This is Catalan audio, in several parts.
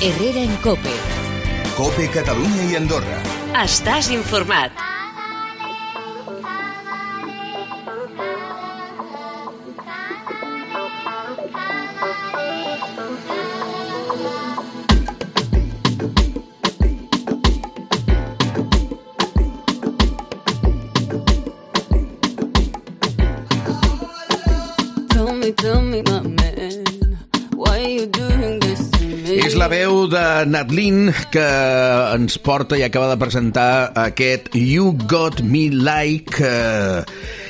Herrera en COPE. COPE Catalunya i Andorra. Estàs informat. Tell me, my man, why you doing this to me? És la veu de Nadlin que ens porta i acaba de presentar aquest You Got Me Like,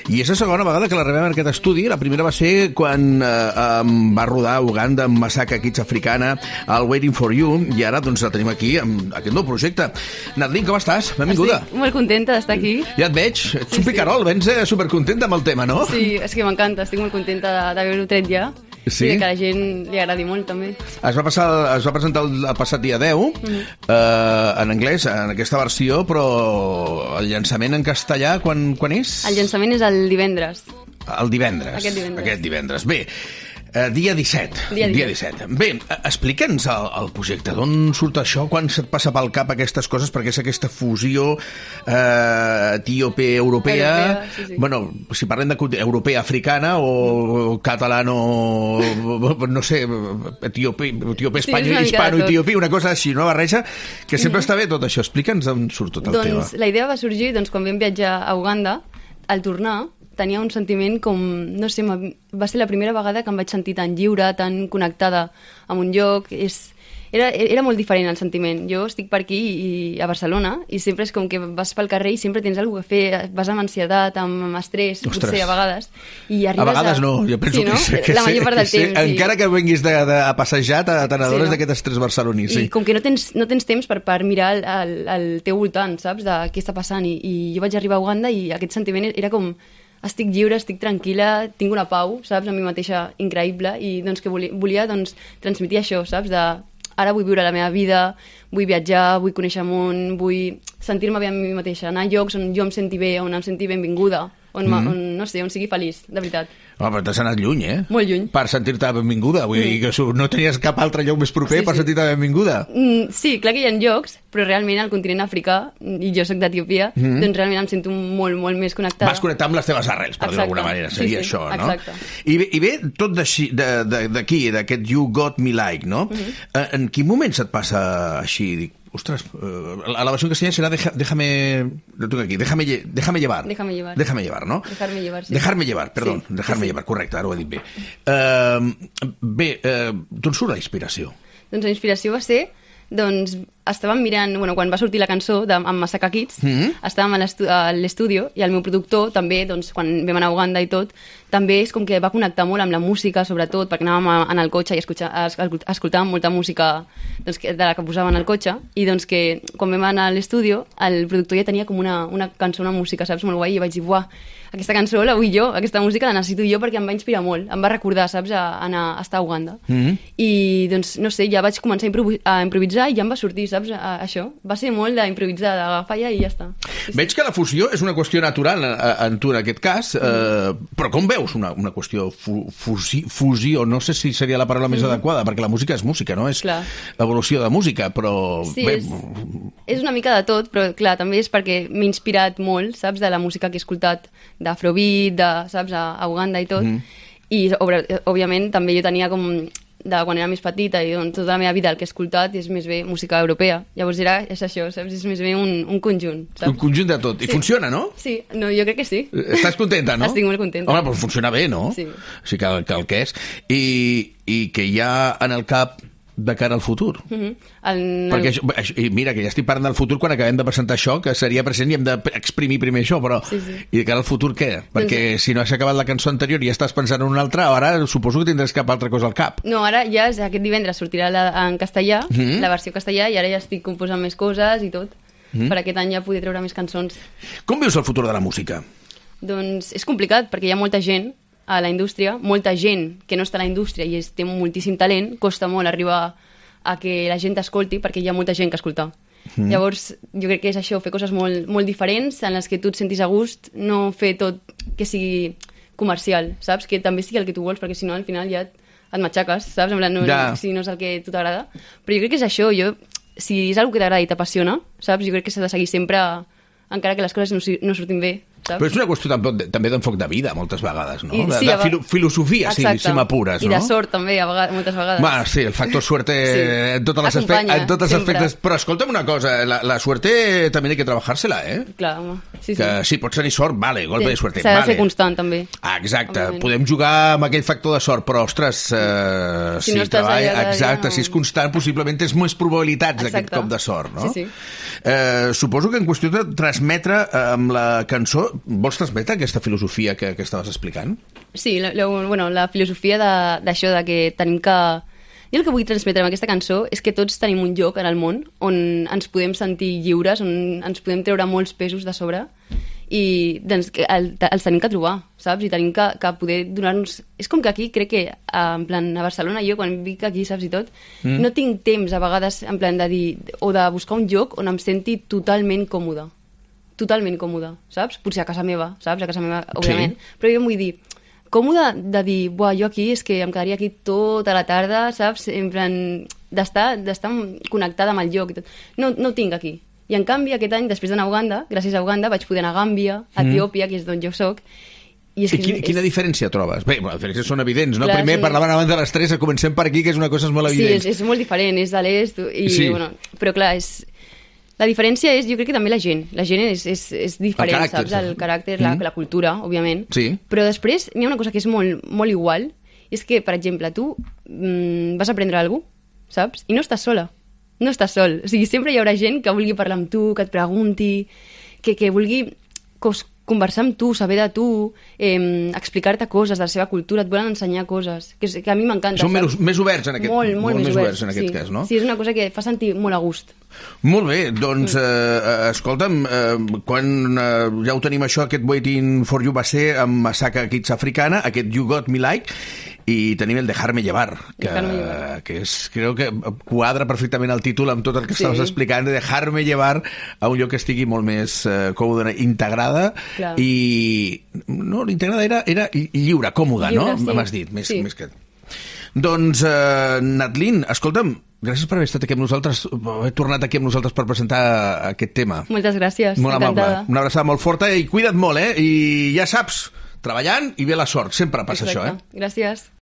i és la segona vegada que la rebem en aquest estudi. La primera va ser quan va rodar a Uganda amb Masaka Kids Africana, el Waiting for You, i ara doncs la tenim aquí amb aquest nou projecte. Nadlin, com estàs? Benvinguda. Estic molt contenta d'estar aquí. Ja et veig, ets un picarol, vens supercontenta amb el tema, no? Sí, és que m'encanta, estic molt contenta d'haver-ho tret ja. Sí? I que a la gent li agradi molt, també. Es va presentar el passat dia 10, en anglès, en aquesta versió, però el llançament en castellà, quan és? El llançament és el divendres. El divendres. Aquest divendres. Bé, dia 17. Dia 17. Bé, explica'ns el projecte. D'on surt això? Quan se't passa pel cap aquestes coses? Perquè és aquesta fusió etíope-europea. Sí. Bueno, si parlem de europea-africana o catalano, no sé, hispano-etiopí, una cosa així, una barreja, que sempre està bé tot això. Explica'ns d'on surt tot el tema. La idea va sorgir quan vam viatjar a Uganda. Al tornar tenia un sentiment com, no sé, va ser la primera vegada que em vaig sentir tan lliure, tan connectada amb un lloc. Era molt diferent el sentiment. Jo estic per aquí a Barcelona i sempre és com que vas pel carrer i sempre tens alguna cosa a fer, vas amb ansietat, amb estrès, potser a vegades. I arribes a vegades no, jo penso que la major part del temps. Encara que vinguis a passejar, te n'adones d'aquest estrès barceloní. I com que no tens temps per mirar al teu voltant, saps, de què està passant. I jo vaig arribar a Uganda i aquest sentiment era com: estic lliure, estic tranquil·la, tinc una pau, saps, a mi mateixa increïble, i doncs que volia transmetre això, saps, ara vull viure la meva vida, vull viatjar, vull conèixer el món, vull sentir-me bé amb mi mateixa, anar a llocs on jo em senti bé, on em senti benvinguda, on no sé, on sigui feliç, de veritat. Home, però t'has anat lluny, eh? Molt lluny. Per sentir-te benvinguda, vull dir que no tenies cap altre lloc més proper per sentir-te benvinguda. Sí, clar que hi ha llocs, però realment al continent africà, i jo soc d'Etiòpia, doncs realment em sento molt, molt més connectada. Vas connectar amb les teves arrels, per dir-ho d'alguna manera, seria això, no? Exacte. I bé, tot d'aquí, d'aquest You Got Me Like, no? En quin moment se't passa així? Dic, ostres, la versió en castellà serà déjame llevar. Déjame llevar, no? Dejarme llevar, sí. Dejarme llevar, perdó. Sí. Dejarme llevar, correcte, ara ho he dit bé. D'on surt la inspiració? Doncs la inspiració va ser, estàvem mirant, quan va sortir la cançó amb Masaka Kids, estàvem a l'estudi i el meu productor també, quan vam anar a Uganda i tot, també és com que va connectar molt amb la música, sobretot, perquè anàvem en el cotxe i escoltàvem molta música de la que posaven al cotxe, i que quan vam anar a l'estudi, el productor ja tenia com una cançó, una música, saps, molt guai, i vaig dir, buah, aquesta cançó la vull jo, aquesta música la necessito jo perquè em va inspirar molt, em va recordar, saps, a estar a Uganda. I, no sé, ja vaig començar a improvisar i ja em va sortir, saps, això. Va ser molt d'improvisar, d'agafar i ja està. Veig que la fusió és una qüestió natural en tu, en aquest cas, però com veus una qüestió fusió? No sé si seria la paraula més adequada, perquè la música és música, no? És evolució de música, però... Sí, és una mica de tot, però clar, també és perquè m'he inspirat molt, saps, de la música que he escoltat d'Afrobeat, saps, a Uganda i tot, i òbviament també jo tenia com, quan era més petita i tota la meva vida el que he escoltat és més bé música europea, llavors és això, saps, és més bé un conjunt, saps? Un conjunt de tot, i funciona, no? Sí, no, jo crec que sí. Estàs contenta, no? Estic molt contenta. Home, però funciona bé, no? Sí. O sigui que el que és, i que hi ha en el cap de cara al futur. Perquè mira, que ja estic parlant del futur quan acabem de presentar això, que seria present i hem d'exprimir primer això, però i de cara al futur què? Perquè si no has acabat la cançó anterior i ja estàs pensant en una altra, ara suposo que tindràs cap altra cosa al cap. No, ara ja aquest divendres sortirà en castellà, la versió castellà, i ara ja estic composant més coses i tot, per aquest any ja poder treure més cançons. Com veus el futur de la música? Doncs és complicat, perquè hi ha molta gent a la indústria, molta gent que no està a la indústria i té moltíssim talent, costa molt arribar a que la gent t'escolti perquè hi ha molta gent que escoltar. Llavors, jo crec que és això, fer coses molt, molt diferents en les que tu et sentis a gust, no fer tot que sigui comercial, saps? Que també sigui el que tu vols, perquè si no al final ja et matxaques, saps? En plan, si no és el que a tu t'agrada. Però jo crec que és això, si és una que t'agrada i t'apassiona, saps? Jo crec que s'ha de seguir sempre, encara que les coses no surtin bé, saps? Però és una qüestió també d'enfoc de vida, moltes vegades, no? Sí, de filosofia, si m'apures, no? I de sort, també, moltes vegades. Sí, el factor suerte en tots els aspectes. Però escolta'm una cosa, la suerte també hay que trabajársela, ¿eh? Clar, home. Sí, pots tenir sort, vale, golpe de suerte, s'ha de ser constant, també. Exacte, podem jugar amb aquell factor de sort, però, ostres, si és constant, possiblement tens més probabilitats d'aquest cop de sort, no? Sí. Suposo que en qüestió de transmetre amb la cançó, vols transmetre aquesta filosofia que estaves explicant? Sí, la filosofia d'això, de que tenim que... Jo el que vull transmetre amb aquesta cançó és que tots tenim un lloc en el món on ens podem sentir lliures, on ens podem treure molts pesos de sobre i doncs, els tenim que trobar, saps? I tenim que poder donar-nos... És com que aquí crec que, en plan, a Barcelona, jo quan vinc aquí, saps, i tot, no tinc temps a vegades, en plan, de dir... o de buscar un lloc on em senti totalment còmode, saps? Potser a casa meva, saps? A casa meva, òbviament. Sí. Però jo em vull dir... còmode de dir, jo aquí és que em quedaria aquí tota la tarda, saps? En plan, d'estar connectada amb el lloc. No ho tinc aquí. I en canvi, aquest any, després d'anar a Uganda, gràcies a Uganda, vaig poder anar a Gàmbia, a Etiòpia, que és d'on jo soc. I quina diferència trobes? Bé, les diferències són evidents, no? Clar, primer parlaven abans de les 3, comencem per aquí, que és una cosa molt evident. Sí, és molt diferent, és de l'est, però clar, la diferència és, jo crec que també la gent és diferent, saps? El caràcter, la cultura, òbviament. Sí. Però després n'hi ha una cosa que és molt, molt igual, i és que, per exemple, tu vas aprendre alguna cosa, saps? I no estàs sola, no estàs sol. O sigui, sempre hi haurà gent que vulgui parlar amb tu, que et pregunti, que vulgui conversar amb tu, saber de tu, explicar-te coses de la seva cultura, et volen ensenyar coses, que a mi m'encanta. Són més oberts en aquest cas. Molt més oberts en aquest cas, no? Sí, és una cosa que fa sentir molt a gust. Molt bé, doncs, escolta'm, quan ja ho tenim això, aquest Waiting for You va ser amb Masaka Kids Africana, aquest You Got Me Like, i tenim el Dejarme Llevar, que crec que quadra perfectament el títol amb tot el que estaves explicant, de Dejarme Llevar a un lloc que estigui molt més còmode, integrada. Clar. I l'integrada era lliure, còmoda, no? M'has dit, més que... Doncs, Natlin, escolta'm, gràcies per haver estat aquí amb nosaltres, haver tornat aquí amb nosaltres per presentar aquest tema. Moltes gràcies, molt encantada. Amable. Una abraçada molt forta i cuida't molt, I ja saps, treballant i ve la sort, sempre passa això, Gràcies.